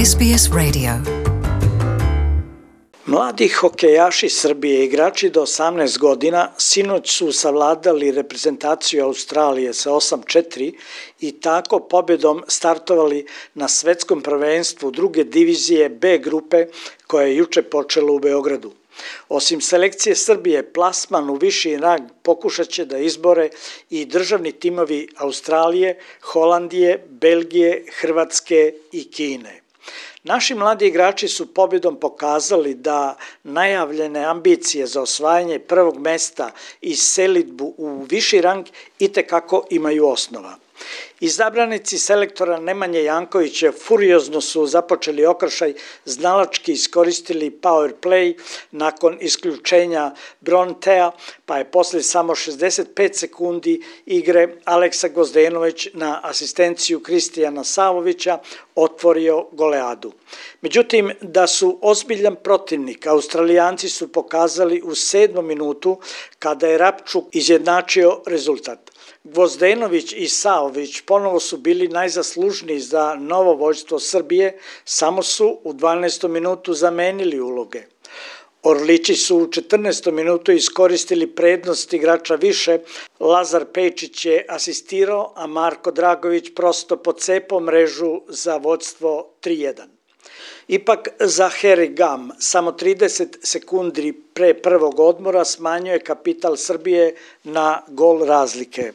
SBS Radio. Mladi hokejaši Srbije, igrači do 18 godina, sinoć su savladali reprezentaciju Australije sa 8:4 i tako pobjedom startovali na svetskom prvenstvu druge divizije B grupe koja je juče počela u Beogradu. Osim selekcije Srbije, plasman u viši rang pokušat će da izbore i državni timovi Australije, Holandije, Belgije, Hrvatske i Kine. Naši mladi igrači su pobjedom pokazali da najavljene ambicije za osvajanje prvog mesta i selidbu u viši rang itekako imaju osnova. Izabranici selektora Nemanje Jankovića furiozno su započeli okršaj, znalački iskoristili power play nakon isključenja Brontea, pa je posle samo 65 sekundi igre Aleksa Gvozdenović na asistenciju Kristijana Savovića otvorio goleadu. Međutim, da su ozbiljan protivnik, Australijanci su pokazali u 7. minutu kada je Rapčuk izjednačio rezultat. Gvozdenović i Savović ponovo su bili najzaslužniji za novo vođstvo Srbije, samo su u 12. minutu zamenili uloge. Orlići su u 14. minutu iskoristili prednost igrača više, Lazar Pejčić je asistirao, a Marko Dragović prosto pocepao mrežu za vođstvo 3:1. Ipak za Harry Gam samo 30 sekundi pre prvog odmora smanjuje kapital Srbije na gol razlike.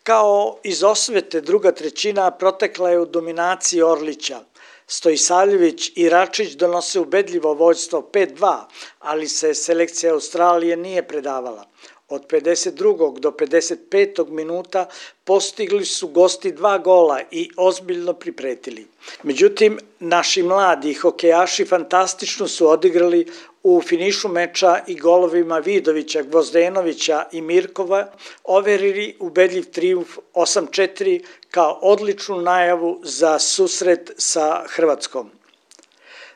Kao iz osvete druga trećina protekla je u dominaciji Orlića. Stojisavljević i Račić donose ubedljivo vođstvo 5:2, ali se selekcija Australije nije predavala. Od 52. do 55. minuta postigli su gosti 2 gola i ozbiljno pripretili. Međutim, naši mladi hokejaši fantastično su odigrali u finišu meča i golovima Vidovića, Gvozdenovića i Mirkova, overili ubedljiv trijumf 8:4 kao odličnu najavu za susret sa Hrvatskom.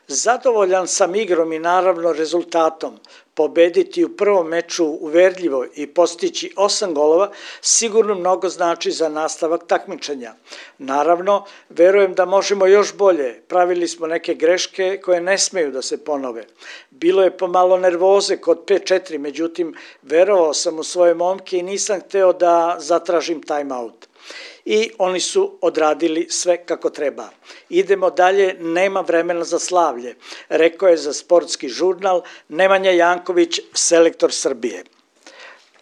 Zadovoljan sam igrom i naravno rezultatom. Pobediti u prvom meču uverljivo i postići 8 golova sigurno mnogo znači za nastavak takmičenja. Naravno, verujem da možemo još bolje. Pravili smo neke greške koje ne smeju da se ponove. Bilo je pomalo nervoze kod 5:4, međutim, verovao sam u svoje momke i nisam hteo da zatražim timeout. I oni su odradili sve kako treba. Idemo dalje, nema vremena za slavlje, rekao je za Sportski žurnal Nemanja Janković, selektor Srbije.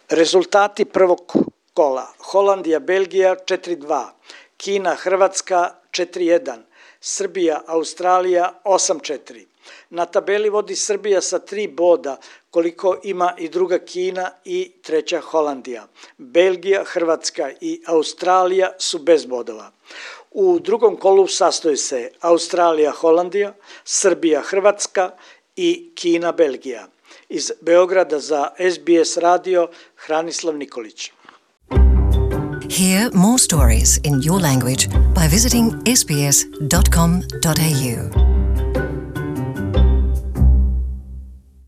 Rezultati prvog kola: Holandija, Belgija 4:2, Kina, Hrvatska 4:1, Srbija, Australija 8:4. Na tabeli vodi Srbija sa 3 boda, koliko ima i druga Kina i treća Holandija. Belgija, Hrvatska i Australija su bez bodova. U drugom kolu sastoji se Australija, Holandija, Srbija, Hrvatska i Kina, Belgija. Iz Beograda za SBS radio, Hranislav Nikolić. Hear more stories in your language by visiting sbs.com.au.